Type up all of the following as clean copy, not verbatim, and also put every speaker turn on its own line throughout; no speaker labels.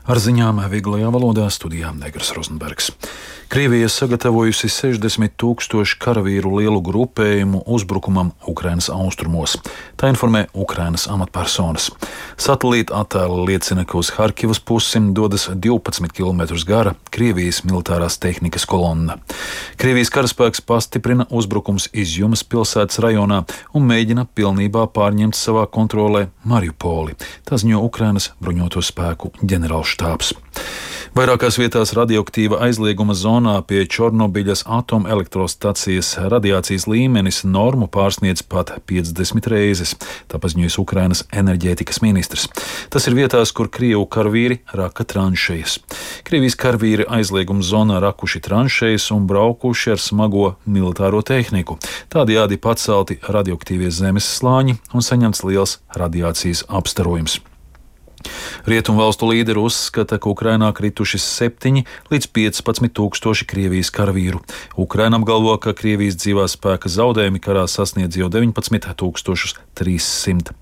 Ar ziņām vieglajā valodā studijā Negras Rozenbergs. Krievija sagatavojusi 60 000 karavīru lielu grupējumu uzbrukumam Ukrainas austrumos. Tā informē Ukrainas amatpersonas. Satelīta attēli liecina, ka uz Harkivas pusi dodas 12 km gara Krievijas militārās tehnikas kolonna. Krievijas karaspēks pastiprina uzbrukums Izjumas pilsētas rajonā un mēģina pilnībā pārņemt savā kontrolē Mariupoli. Tā ziņo Ukrainas bruņoto spēku ģenerālštābs. Vairākās vietās radioaktīva aizlieguma zonā pie Čornobiļas atomelektrostacijas radiācijas līmenis normu pārsniedz pat 50 reizes, tā paziņojas Ukrainas enerģētikas ministrs. Tas ir vietās, kur Krievu karavīri raka tranšejas. Krievijas karavīri aizlieguma zonā rakuši tranšejas un braukuši ar smago militāro tehniku. Tādējādi pacelti radioaktīvie zemes slāņi un saņemts liels radiācijas apstarojums. Rietumvalstu līderi uzskata, ka Ukrainā krituši 7 līdz 15 tūkstoši Krievijas karavīru. Ukraina apgalvo, ka Krievijas dzīvā spēka zaudējumi karā sasniedz jau 19 300.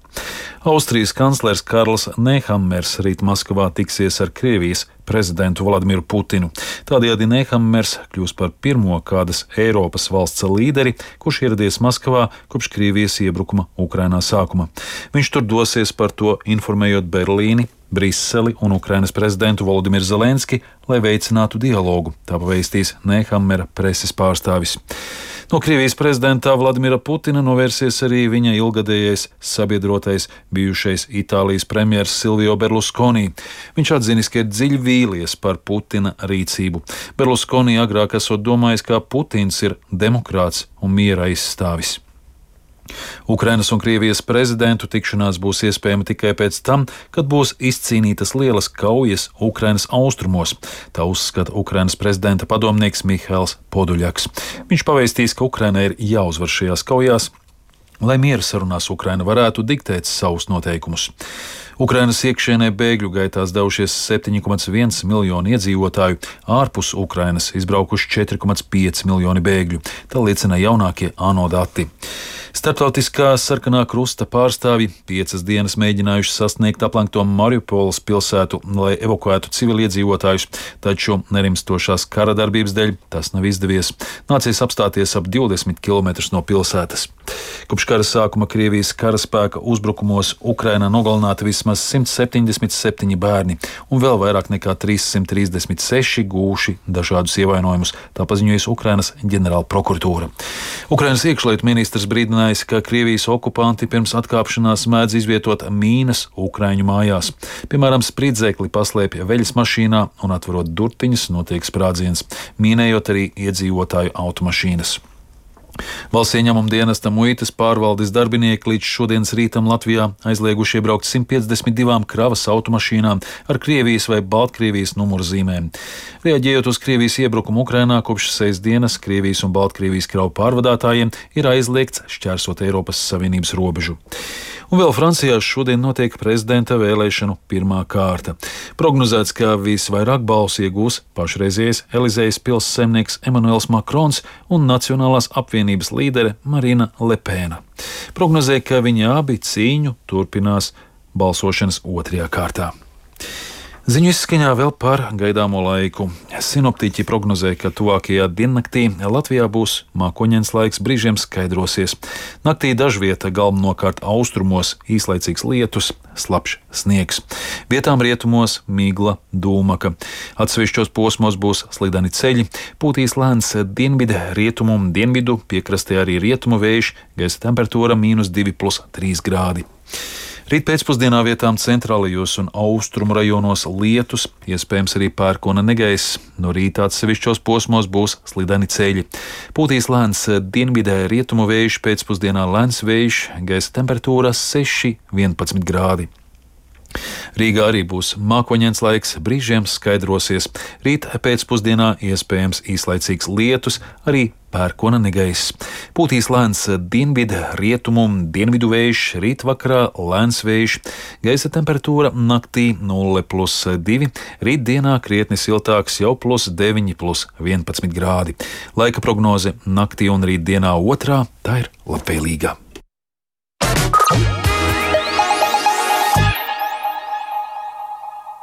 Austrijas kanclers Karls Nehammers rīt Maskavā tiksies ar Krievijas prezidentu Vladimiru Putinu. Tādējādi Nehammers kļūs par pirmo kādas Eiropas valsts līderi, kurš ieradies Maskavā kopš Krievijas iebrukuma Ukrainā sākuma. Viņš tur dosies par to informējot Berlīni, Briseli un Ukrainas prezidentu Volodimiru Zelenski, lai veicinātu dialogu, tā pavēstīs Nehammera preses pārstāvis. No Krievijas prezidenta Vladimira Putina novērsies arī viņa ilgadējais sabiedrotais, bijušais Itālijas premjers Silvio Berlusconi. Viņš atzinis, ka ir dziļi vīlies par Putina rīcību. Berlusconi agrāk esot domājis, ka Putins ir demokrāts un miera aizstāvis. Ukrainas un Krievijas prezidentu tikšanās būs iespējama tikai pēc tam, kad būs izcīnītas lielas kaujas Ukrainas austrumos. Tā uzskata Ukrainas prezidenta padomnieks Mihails Poduļaks. Viņš pavēstīs, ka Ukrainai ir jāuzvar šajās kaujās, lai miera sarunās Ukraina varētu diktēt savus noteikumus. Ukrainas iekšienē bēgļu gaitās devušies 7,1 miljoni iedzīvotāju, ārpus Ukrainas izbraukuši 4,5 miljoni bēgļu. Tā liecina jaunākie ANO dati. Starptautiskā sarkanā krusta pārstāvji 5 dienas mēģinājuši sasniegt aplenkto Mariupoles pilsētu, lai evakuētu civiliedzīvotājus, taču nerimstošās kara darbības dēļ tas nav izdevies. Nācies apstāties ap 20 km no pilsētas. Kopš kara sākuma Krievijas karaspēka uzbrukumos Ukrainā nogalināti vismaz 177 bērni un vēl vairāk nekā 336 gūši dažādus ievainojumus, tā paziņojas Ukrainas ģenerāla prokuratūra. Ukrainas iekšlietu ministrs brīdinājis, ka Krievijas okupanti pirms atkāpšanās mēdz izvietot mīnas Ukraiņu mājās. Piemēram, spridzekli paslēpja veļas mašīnā un atverot durtiņas notiek sprādziens, mīnējot arī iedzīvotāju automašīnas. Valsts ieņēmuma dienesta muitas pārvaldes darbinieki līdz šodienas rītam Latvijā aizlieguši iebraukt 152 kravas automašīnām ar Krievijas vai Baltkrievijas numurzīmēm. Reaģējot uz Krievijas iebrukumu Ukrainā, kopš 6 dienas Krievijas un Baltkrievijas kravu pārvadātājiem ir aizliegts šķērsot Eiropas Savienības robežu. Un vēl Francijā šodien notiek prezidenta vēlēšanu pirmā kārta. Prognozēts, ka visvairāk balsu iegūs pašreizējais Elizejas pils saimnieks Emmanuels Macrons un Nacionālās apvienības līdere Marina Lepena. Prognozē, ka viņi abi cīņu turpinās balsošanas otrajā kārtā. Ziņu izskaņā vēl par gaidāmo laiku. Sinoptiķi prognozē, ka tuvākajā diennaktī Latvijā būs mākoņains laiks, brīžiem skaidrosies. Naktī dažvieta galvenokārt austrumos īslaicīgs lietus, slapjš sniegs. Vietām rietumos migla, dūmaka. Atsevišķos posmos būs slideni ceļi, pūtīs lēns dienvidu, rietumu un dienvidu, piekrastē arī rietumu vējš, gaisa temperatūra -2,3 grādi. Rīt pēcpusdienā vietām centrālajos un austrumu rajonos lietus, iespējams arī pērkona negaiss. No rīta atsevišķos posmos būs slideni ceļi. Pūtīs lēns dienvidē rietumu vējš, pēcpusdienā lēns vējš, gaisa temperatūra 6,11 grādi. Rīgā arī būs mākoņains laiks, brīžiem skaidrosies. Rīt pēcpusdienā iespējams īslaicīgs lietus, arī pērkona negaiss. Pūtīs lēns dienvidu, rietumu un dienvidu vējš, rīt vakarā lēns vējš. Gaisa temperatūra naktī 0,2, rīt dienā krietni siltāks, jau +9, +11 grādi. Laika prognoze naktī un rīt dienā otrā, tā ir labvēlīga.